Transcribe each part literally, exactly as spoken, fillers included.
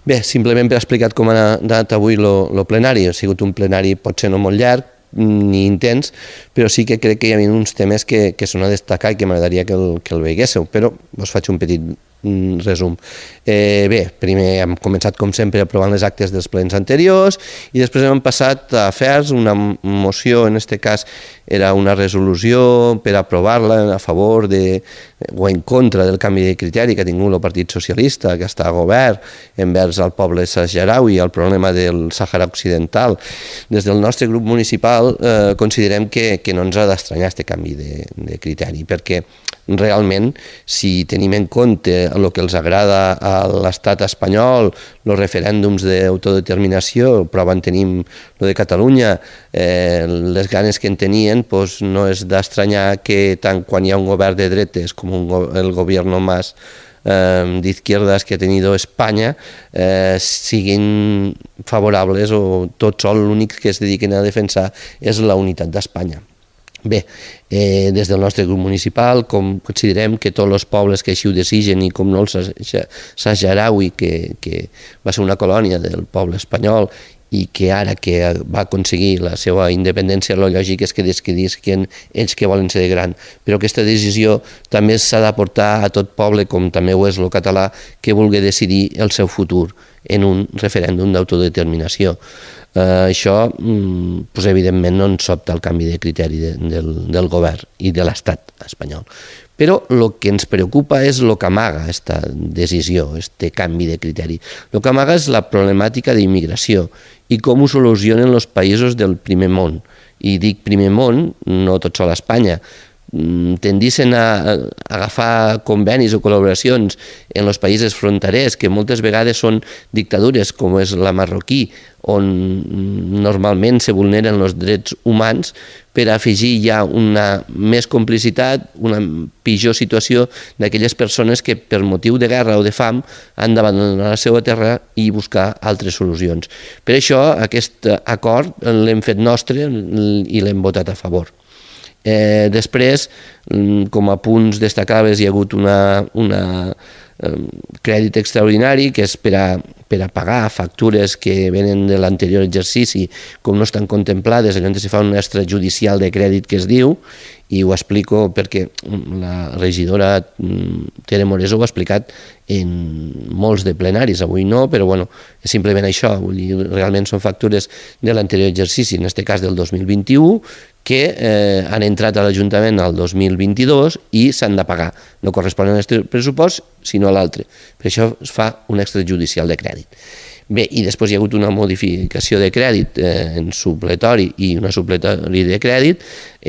Bé, simplement per explicar com ha anat avui el plenari. Ha sigut un plenari potser no molt llarg ni intens, però sí que crec que hi ha uns temes que, que són a destacar i que m'agradaria que, el, que el veiguéssiu, però us faig un petit resum. Eh, bé, primer hem començat com sempre aprovant les actes dels plens anteriors i després hem passat a afers, una moció, en aquest cas era una resolució per aprovar-la a favor de, o en contra del canvi de criteri que ha tingut el Partit Socialista, que està a govern, envers el poble saharaui i el problema del Sàhara Occidental. Des del nostre grup municipal eh, considerem que, que no ens ha d'estranyar aquest canvi de, de criteri, perquè realment, si tenim en compte el que els agrada a l'estat espanyol, els referèndums d'autodeterminació, prova en tenim el de Catalunya, eh, les ganes que en tenien, doncs no és d'estranyar que tant quan hi ha un govern de dretes com un, el govern Mas eh, d'izquierdas que ha tenido Espanya eh, siguin favorables o tot sol l'únic que es dediquen a defensar és la unitat d'Espanya. Bé, eh, des del nostre grup municipal com considerem que tots els pobles que així ho desitgen i com no el saharaui, que, que va ser una colònia del poble espanyol i que ara que va aconseguir la seva independència, el lògic és que decidisquen ells que volen ser de gran. Però aquesta decisió també s'ha de portar a tot poble, com també ho és el català, que vulgui decidir el seu futur en un referèndum d'autodeterminació. Uh, això, mm, pues, evidentment, no ens sobta el canvi de criteri de, del, del govern i de l'estat espanyol. Però el que ens preocupa és el que amaga aquesta decisió, aquest canvi de criteri. El que amaga és la problemàtica d'immigració i com ho solucionen els països del primer món. I dic primer món, no tot sol a Espanya. Tendissin a agafar convenis o col·laboracions en els països fronterers, que moltes vegades són dictadures, com és la marroquí, on normalment se vulneren els drets humans, per afegir ja una més complicitat, una pitjor situació d'aquelles persones que per motiu de guerra o de fam han d'abandonar la seva terra i buscar altres solucions. Per això aquest acord l'hem fet nostre i l'hem votat a favor. Eh, després, com a punts destacables, hi ha hagut una, una eh, crèdit extraordinari que és per a, per a pagar factures que venen de l'anterior exercici, com no estan contemplades, llavors se fa un extrajudicial de crèdit que es diu, i ho explico perquè la regidora Tere Morés ho ha explicat en molts de plenaris, avui no, però bueno, és simplement això, vull dir, realment són factures de l'anterior exercici, en aquest cas del dos mil vint-i-u, que eh, han entrat a l'Ajuntament al dos mil vint-i-dos i s'han de pagar. No corresponen a aquest pressupost, sinó a l'altre. Per això es fa un extrajudicial de crèdit. Bé, i després hi ha hagut una modificació de crèdit eh, en supletori i una supletori de crèdit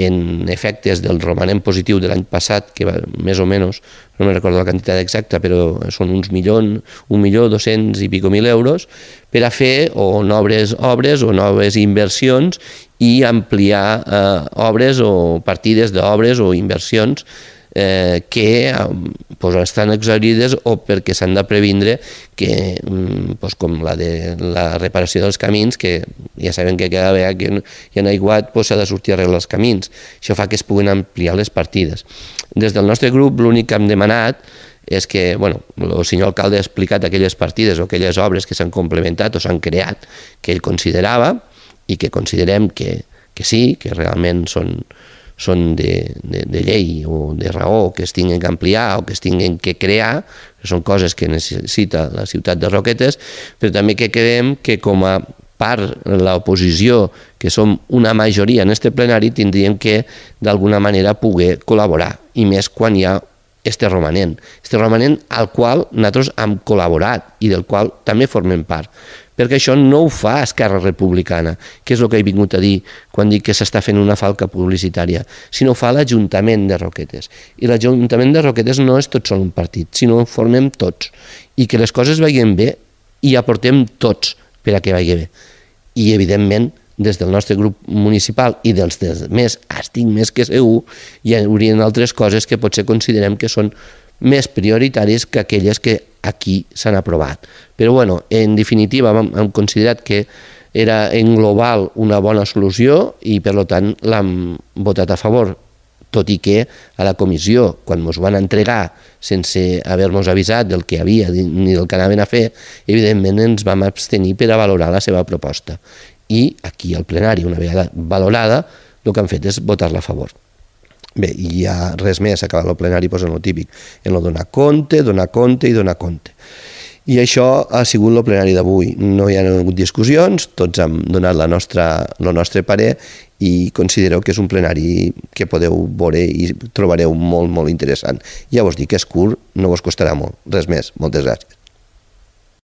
en efectes del romanent positiu de l'any passat, que va més o menys, no me recordo la quantitat exacta, però són uns milions, un milió dos-cents i pico mil euros, per a fer o noves obres o noves inversions i ampliar eh, obres o partides d'obres o inversions eh, que eh, pues, estan exaurides o perquè s'han de previndre que, pues, com la de la reparació dels camins, que ja sabem que cada vegada que hi ha aiguat s'ha pues, de sortir a arreglar els camins. Això fa que es puguin ampliar les partides. Des del nostre grup l'únic que hem demanat és que, bueno, el senyor alcalde ha explicat aquelles partides o aquelles obres que s'han complementat o s'han creat que ell considerava i que considerem que, que sí, que realment són, són de, de, de llei o de raó, que es tinguin que ampliar o que es tinguin que crear, que són coses que necessita la ciutat de Roquetes, però també que creiem que com a part de l'oposició, que som una majoria en aquest plenari, tindríem que d'alguna manera poder col·laborar, i més quan hi ha este romanent, este romanent al qual nosaltres hem col·laborat i del qual també formem part, perquè això no ho fa Esquerra Republicana, que és el que he vingut a dir quan dic que s'està fent una falca publicitària, sinó ho fa l'Ajuntament de Roquetes. I l'Ajuntament de Roquetes no és tot sol un partit, sinó que formem tots, i que les coses vagin bé i aportem tots per a que vagi bé. I, evidentment, des del nostre grup municipal i dels més, estic més que segur, hi haurien altres coses que potser considerem que són més prioritaris que aquelles que aquí s'han aprovat. Però, bueno, en definitiva, hem considerat que era en global una bona solució i, per tant, l'hem votat a favor. tot i que a la comissió, quan ens van entregar sense haver-nos avisat del que hi havia ni del que anaven a fer, evidentment ens vam abstenir per a valorar la seva proposta. I aquí al plenari, una vegada valorada, el que han fet és votar-la a favor. Bé, i ja res més, acabar el plenari en el típic, en el donar compte, donar compte i donar compte. I això ha sigut el plenari d'avui. No hi ha hagut discussions, tots hem donat la nostra, el nostre parer i considereu que és un plenari que podeu veure i trobareu molt, molt interessant. Ja vos dic que és curt, no vos costarà molt. Res més. Moltes gràcies.